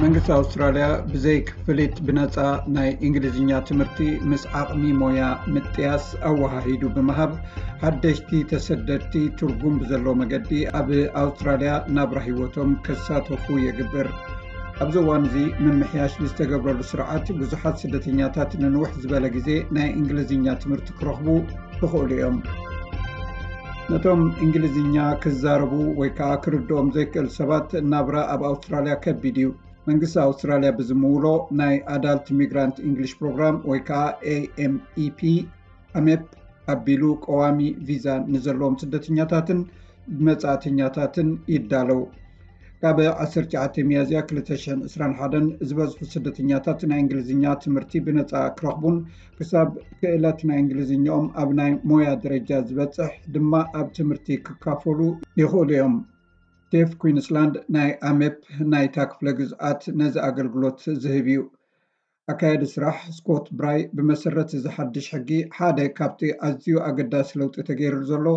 መንግስቲ ኣውስትራልያ ብዘይ ክፍሊት ብነጻ ናይ እንግሊዝኛ ትምህርቲ ምስ ዓቕሚ ሞያ ምጥያስ ኣወሃሂዱ ብምሃብ፣ ሓደሽቲ ተሰደድቲ ትርጉም ብዘለዎ መገዲ ኣብ ኣውስትራልያ ናብራ ህይወቶም ከሳተፉ የግብር። ኣብዚ እዋን እዚ ምምሕያሽ ብዝተገብረሉ ስርዓት፣ ብዙሓት ስደተኛታት ንንውሕ ዝበለ ግዜ ናይ እንግሊዝኛ ትምህርቲ ክረኽቡ ይኽእሉ እዮም። ነቶም እንግሊዝኛ ክዛረቡ ወይ ከዓ ክርድኦም ዘይክእል ሰባት ናብራ ኣብ ኣውስትራልያ ከቢድ እዩ። መንግስቲ ኣውስትራልያ ብዝምውሎ ናይ ኣዳልት ሚግራንት እንግሊሽ ፕሮግራም ወይ ከዓ ኤ ኤም ኢ ፒ፣ ኣሜፕ ኣቢሉ ቀዋሚ ቪዛ ንዘለዎም ስደተኛታትን መጻእተኛታትን ይዳለው። ካብ ዓሰርተ ትሽዓተ ሚያዝያ ክልተ ሽሕን ዕስራን ሓደን ዝበዝሑ ስደተኛታት ናይ እንግሊዝኛ ትምህርቲ ብነጻ ክረኽቡን ክሳብ ክእለት ናይ እንግሊዝኛኦም ኣብ ናይ ሞያ ደረጃ ዝበጽሕ ድማ ኣብ ትምህርቲ ክካፈሉ ይኽእሉ እዮም። ቴፍ ኩዊንስላንድ ናይ ኣሜፕ ናይታ ክፍለ ግዝኣት ነዚ ኣገልግሎት ዝህብ እዩ። ኣካያዲ ስራሕ ስኮት ብራይ፣ ብመሰረት እዚ ሓድሽ ሕጊ ሓደ ካብቲ ኣዝዩ ኣገዳሲ ለውጢ ተገይሩ ዘሎ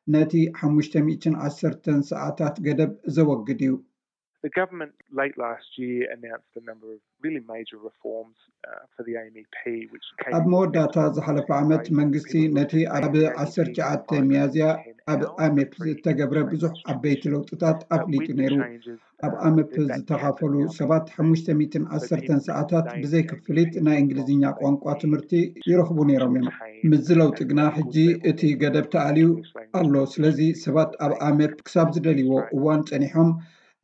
ነቲ ሓሙሽተ ሚእትን ዓሰርተን ሰዓታት ገደብ ዘወግድ እዩ። The government late last year announced a number of really major reforms uh, for the A M E P, which came ኣብ መወዳእታ ዝሓለፈ ዓመት መንግስቲ ነቲ ኣብ ዓሰርተ ትሽዓተ ሚያዝያ ኣብ ኣሜፕ ዝተገብረ ብዙሕ ዓበይቲ ለውጥታት ኣፍሊጡ ነይሩ። ኣብ ኣመፕ ዝተኻፈሉ ሰባት ሓሙሽተ ሚእትን ዓሰርተን ሰዓታት ብዘይ ክፍሊት ናይ እንግሊዝኛ ቋንቋ ትምህርቲ ይረኽቡ ነይሮም እዮም። ምስዚ ለውጢ ግና ሕጂ እቲ ገደብ ተኣልዩ ኣሎ። ስለዚ ሰባት ኣብ ኣመፕ ክሳብ ዝደልይዎ እዋን ጸኒሖም፣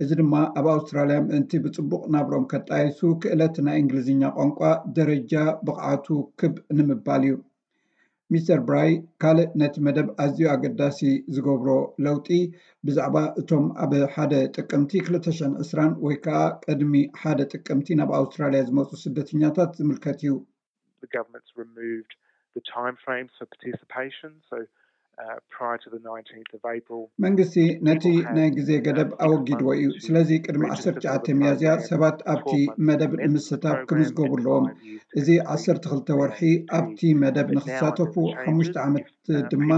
እዚ ድማ ኣብ ኣውስትራልያ ምእንቲ ብጽቡቕ ናብሮም ከጣይሱ ክእለት ናይ እንግሊዝኛ ቋንቋ ደረጃ ብቕዓቱ ክብ ንምባል እዩ። ሚስተር ብራይ ካልእ ነቲ መደብ ኣዝዩ ኣገዳሲ ዝገብሮ ለውጢ ብዛዕባ እቶም ኣብ ሓደ ጥቅምቲ ክልተ ሽሕን ዕስራን ወይ ከዓ ቅድሚ ሓደ ጥቅምቲ ናብ ኣውስትራልያ ዝመፁ ስደተኛታት ዝምልከት እዩ። The government's removed the time frames for participation, so uh, prior to the nineteenth of April. መንግስቲ ነቲ ናይ ግዜ ገደብ ኣወጊድዎ እዩ። ስለዚ ቅድሚ ዓሰርተ ትሽዓተ ሚያዝያ ሰባት ኣብቲ መደብ ንምስታፍ ክምዝገቡ ኣለዎም። እዚ ዓሰርተ ክልተ ወርሒ ኣብቲ መደብ ንክሳተፉ፣ ሓሙሽተ ዓመት ድማ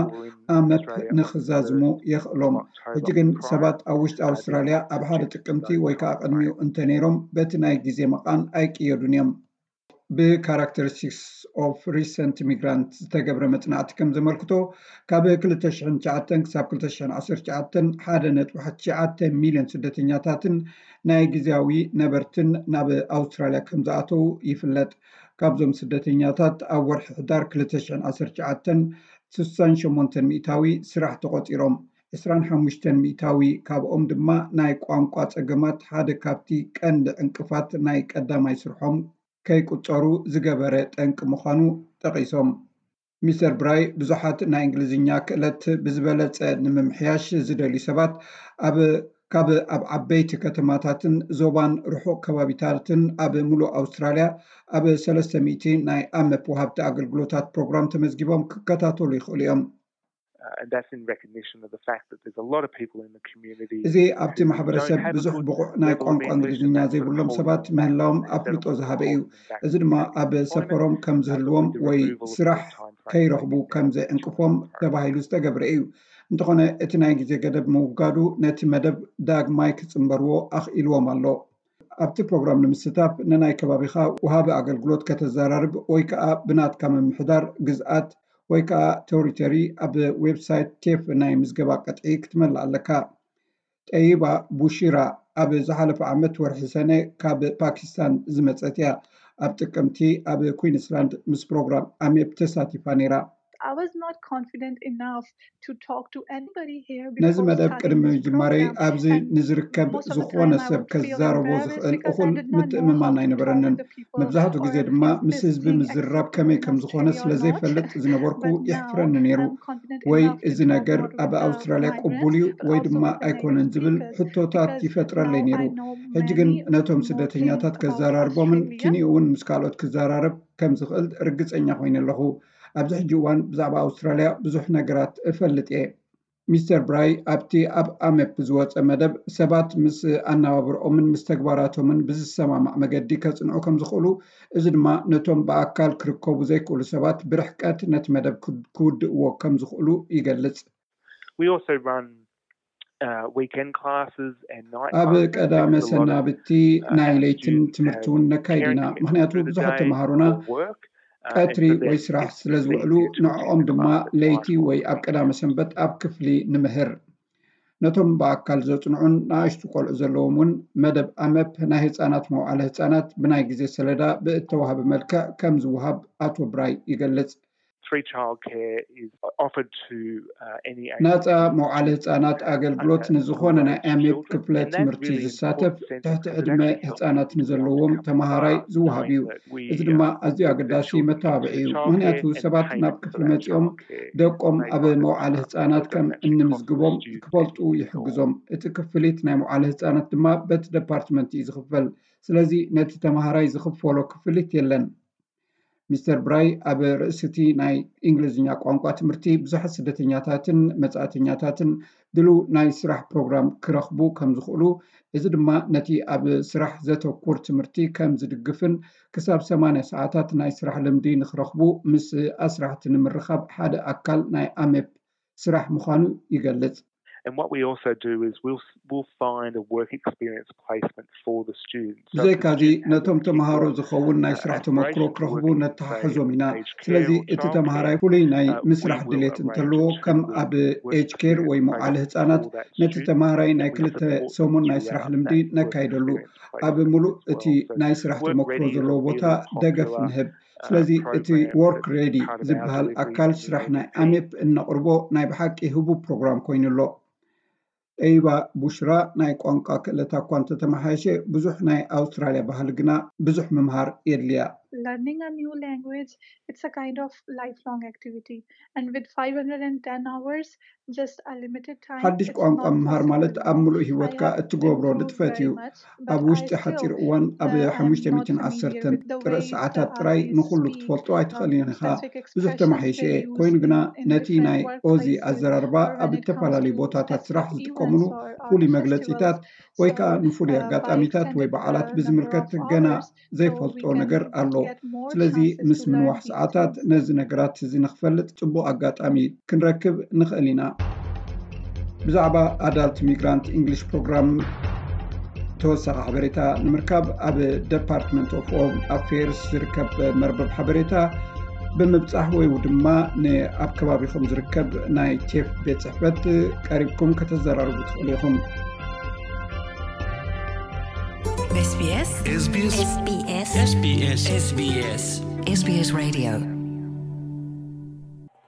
ኣመፕ ንክዛዝሙ የኽእሎም። ሕጂ ግን ሰባት ኣብ ውሽጢ ኣውስትራልያ ኣብ ሓደ ጥቅምቲ ወይ ከዓ ቅድሚኡ እንተነይሮም በቲ ናይ ግዜ መቓን ኣይቅየዱን እዮም። ብካራክተሪስቲክስ ኦፍ ሪሰንት ሚግራንት ዝተገብረ መፅናዕቲ ከም ዘመልክቶ፣ ካብ ክልተ ሽሕን ትሽዓተን ክሳብ ክልተ ሽሕን ዓሰርተ ትሽዓተን ሓደ ነጥቢ ትሽዓተ ሚልዮን ስደተኛታትን ናይ ግዜያዊ ነበርትን ናብ ኣውስትራልያ ከም ዝኣተዉ ይፍለጥ። ካብዞም ስደተኛታት ኣብ ወርሒ ሕዳር ክልተ ሽሕን ዓሰርተ ትሽዓተን ስሳን ሸሞንተን ሚእታዊ ስራሕ ተቖፂሮም፣ ዕስራን ሓሙሽተን ሚእታዊ ካብኦም ድማ ናይ ቋንቋ ፀገማት ሓደ ካብቲ ቀንዲ ዕንቅፋት ናይ ቀዳማይ ስርሖም ከይቁፀሩ ዝገበረ ጠንቂ ምዃኑ ጠቒሶም። ሚስተር ብራይ ብዙሓት ናይ እንግሊዝኛ ክእለት ብዝበለፀ ንምምሕያሽ ዝደልዩ ሰባት ኣብ ካብ ኣብ ዓበይቲ ከተማታትን ዞባን ርሑቕ ከባቢታትን ኣብ ሙሉእ ኣውስትራልያ ኣብ ሰለስተ ሚእቲ ናይ ኣመፕ ወሃብቲ ኣገልግሎታት ፕሮግራም ተመዝጊቦም ክከታተሉ ይኽእሉ እዮም። Uh, and that's in recognition of the fact that there's a lot of people in the community. እዚ ኣብቲ ማሕበረሰብ ብዙሕ ብቑዕ ናይ ቋንቋ እንግሊዝኛ ዘይብሎም ሰባት ምህላዎም ኣፍልጦ ዝሃበ እዩ። እዚ ድማ ኣብ ሰፈሮም ከም ዝህልዎም ወይ ስራሕ ከይረኽቡ ከም ዘዕንቅፎም ተባሂሉ ዝተገብረ እዩ። እንተኾነ እቲ ናይ ግዜ ገደብ ምውጋዱ ነቲ መደብ ዳግማይ ክፅንበርዎ ኣኽኢልዎም ኣሎ። ኣብቲ ፕሮግራም ንምስታፍ ንናይ ከባቢኻ ወሃቢ ኣገልግሎት ከተዘራርብ ወይ ከዓ ብናትካ ምምሕዳር ግዝኣት ወይ ከዓ ቴሪቶሪ ኣብ ዌብሳይት ቴፍ ናይ ምዝገባ ቅጥዒ ክትመልእ ኣለካ። ጠይባ ቡሺራ ኣብ ዝሓለፈ ዓመት ወርሒ ሰነ ካብ ፓኪስታን ዝመፀት እያ። ኣብ ጥቅምቲ ኣብ ኩዊንስላንድ ምስ ፕሮግራም ኣሜፕ ተሳቲፋ ነይራ። I was not confident enough to talk to anybody here ነዚ because መደብ starting ቅድሚ this ምጅማረይ program, ኣብዚ ንዝርከብ most of the ዝኾነ time I ሰብ would feel ከዛረቦ embarrassed ዝኽእል because I እኹል did not know ምትእምማን how to talk ኣይነበረንን። to the people መብዛሕትኡ or ግዜ if ድማ this ምስ is ህዝቢ being ምዝርራብ accepted ከመይ in ከም ዝኾነ Australia ስለ or not. ዘይፈልጥ ዝነበርኩ But now የሕፍረኒ ነይሩ። I'm confident ወይ enough to እዚ talk ነገር more with ኣብ the ኣውስትራልያ ቅቡል migrants, እዩ but ወይ also ድማ with the ኣይኮነን natives, ዝብል because ሕቶታት now ይፈጥረለይ ነይሩ። I know ሕጂ ግን many ነቶም more things ስደተኛታት about ከዘራርቦምን Australia. ኪንኡ እውን ምስ ካልኦት ክዘራረብ ከም ዝኽእል ርግፀኛ ኮይነ ኣለኹ። ኣብዚ ሕጂ እዋን ብዛዕባ ኣውስትራልያ ብዙሕ ነገራት እፈልጥ እየ። ሚስተር ብራይ ኣብቲ ኣብ ኣመፕ ዝወፀ መደብ ሰባት ምስ ኣነባብርኦምን ምስ ተግባራቶምን ብዝሰማማዕ መገዲ ከፅንዑ ከም ዝኽእሉ፣ እዚ ድማ ነቶም ብኣካል ክርከቡ ዘይክእሉ ሰባት ብርሕቀት ነቲ መደብ ክውድእዎ ከም ዝኽእሉ ይገልፅ። We also run uh, weekend classes and night ኣብ classes ቀዳመ because a lot of ሰናብቲ ናይ ለይትን ትምህርቲ እውን ነካይድ ኢና። ምክንያቱ ብዙሓት ተምሃሮና ቀትሪ ወይ ስራሕ ስለ ዝውዕሉ ንዕኦም ድማ ለይቲ ወይ ኣብ ቀዳመ ሰንበት ኣብ ክፍሊ ንምህር። ነቶም ብኣካል ዘጽንዑን ንኣሽቱ ቆልዑ ዘለዎም እውን መደብ ኣመፕ ናይ ህጻናት መውዓለ ህጻናት ብናይ ግዜ ሰለዳ ብእተዋህበ መልክዕ ከም ዝወሃብ ኣቶ ብራይ ይገልጽ። Free childcare is offered to uh, any age. ናጻ መውዓለ ህጻናት ኣገልግሎት ንዝኾነ ናይ ኣሜፕ ክፍለ ትምህርቲ ዝሳተፍ ትሕቲ ዕድመ ህጻናት ንዘለዎም ተመሃራይ ዝወሃብ እዩ። እዚ ድማ ኣዝዩ ኣገዳሲ መተባብዒ እዩ። ምክንያቱ ሰባት ናብ ክፍሊ መጺኦም ደቆም ኣብ መውዓለ ህጻናት ከም እንምዝግቦም ክፈልጡ ይሕግዞም። እቲ ክፍሊት ናይ መውዓለ ህጻናት ድማ በቲ ደፓርትመንት እዩ ዝኽፈል። ስለዚ ነቲ ተመሃራይ ዝኽፈሎ ክፍሊት የለን። ሚስተር ብራይ ኣብ ርእሲ እቲ ናይ እንግሊዝኛ ቋንቋ ትምህርቲ ብዙሓት ስደተኛታትን መጻእተኛታትን ድሉው ናይ ስራሕ ፕሮግራም ክረኽቡ ከም ዝኽእሉ፣ እዚ ድማ ነቲ ኣብ ስራሕ ዘተኩር ትምህርቲ ከም ዝድግፍን ክሳብ ሰማንያ ሰዓታት ናይ ስራሕ ልምዲ ንክረኽቡ ምስ ኣስራሕቲ ንምርኻብ ሓደ ኣካል ናይ ኣሜፕ ስራሕ ምዃኑ ይገልጽ። And what we also do is we'll we'll find a work experience placement for the students. ብዘይካዚ ነቶም ተምሃሮ ዝኸውን ናይ ስራሕ ተመክሮ ክረኽቡ ነተሓሕዞም ኢና። ስለዚ እቲ ተምሃራይ ፍሉይ ናይ ምስራሕ ድሌት እንተለዎ ከም ኣብ ኤጅ ኬር ወይ መውዓሊ ህጻናት ነቲ ተምሃራይ ናይ ክልተ ሰሙን ናይ ስራሕ ልምዲ ነካይደሉ። ኣብ ሙሉእ እቲ ናይ ስራሕ ተመክሮ ዘለዎ ቦታ ደገፍ ንህብ። ስለዚ እቲ ወርክ ሬዲ ዝበሃል ኣካል ስራሕ ናይ ኣሜፕ እነቕርቦ ናይ ብሓቂ ህቡብ ፕሮግራም ኮይኑ ኣሎ። ጠይባ ቡሽራ ናይ ቋንቋ ክእለታ እኳ እንተተመሓየሸ ብዙሕ ናይ ኣውስትራልያ ባህሊ ግና ብዙሕ ምምሃር የድልያ። Learning a new language, it's a kind of lifelong activity, and with five hundred and ten hours, just a limited time, ሓድሽ it's ቋንቋ not ምምሃር ማለት possible. ኣብ ሙሉእ I ህይወትካ have እትገብሮ improved ንጥፈት very እዩ። much, ኣብ but I ውሽጢ still ሓፂር እዋን ኣብ uh, am not ሓሙሽተ ሚእትን familiar ዓሰርተን with the ጥረ way ሰዓታት uh, ጥራይ they ንኹሉ speak ክትፈልጦ uh, ኣይትኽእልን ኢኻ። specific ብዙሕ expressions ተማሓይሸ they እየ። use ኮይኑ ግና in ነቲ different ናይ ኦዚ workplaces ኣዘራርባ or when ኣብ it comes ዝተፈላለዩ to ቦታታት festive ስራሕ events ዝጥቀምሉ or, or ፍሉይ festivals. መግለፂታት ወይ ከዓ ንፍሉይ ኣጋጣሚታት ወይ በዓላት ብዝምልከት ገና ዘይፈልጦ ነገር ኣሎ። ስለዚ ምስ ምንዋሕ ሰዓታት ነዚ ነገራት እዚ ንክፈልጥ ፅቡቕ ኣጋጣሚ ክንረክብ ንኽእል ኢና። ብዛዕባ ኣዳልት ሚግራንት ኢንግሊሽ ፕሮግራም ተወሳኺ ሓበሬታ ንምርካብ ኣብ ደፓርትመንት ኦፍ ሆም ኣፌርስ ዝርከብ መርበብ ሓበሬታ ብምብጻሕ ወይ ድማ ንኣብ ከባቢኹም ዝርከብ ናይ ቴፍ ቤት ጽሕፈት ቀሪብኩም ከተዘራርቡ ትኽእሉ ኢኹም። SBS SBS SBS SBS SBS SBS Radio